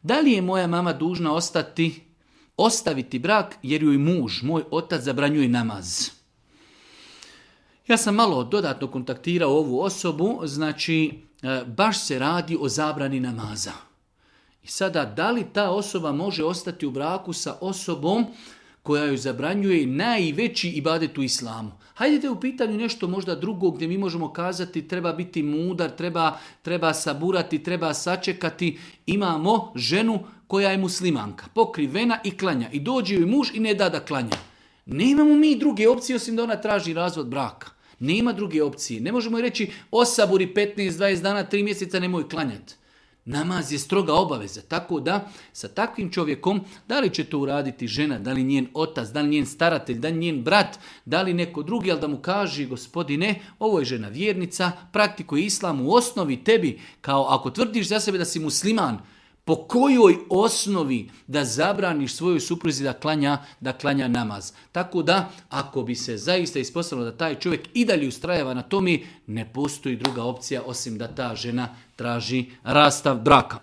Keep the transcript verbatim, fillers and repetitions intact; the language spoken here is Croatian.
Da li je moja mama dužna ostati, ostaviti brak jer joj muž, moj otac, zabranjuje namaz? Ja sam malo dodatno kontaktirao ovu osobu, znači baš se radi o zabrani namaza. I sada, da li ta osoba može ostati u braku sa osobom koja joj zabranjuje najveći ibadet u islamu? Hajdete u pitanju nešto možda drugo gdje mi možemo kazati treba biti mudar, treba, treba saburati, treba sačekati. Imamo ženu koja je muslimanka, pokrivena i klanja. I dođe joj muž i ne da da klanja. Nemamo mi druge opcije osim da ona traži razvod braka. Nema druge opcije. Ne možemo joj reći osaburi petnaest dvadeset dana, tri mjeseca nemoj klanjati. Namaz je stroga obaveza, tako da sa takvim čovjekom, da li će to uraditi žena, da li njen otac, da li njen staratelj, da li njen brat, da li neko drugi, ali da mu kaže gospodine, ovo je žena vjernica, praktikuje islam u osnovi tebi, kao ako tvrdiš za sebe da si musliman, po kojoj osnovi da zabraniš svojoj supruzi da klanja, da klanja namaz. Tako da, ako bi se zaista ispostavilo da taj čovjek i dalje ustrajava na tome, ne postoji druga opcija osim da ta žena traži rastav braka.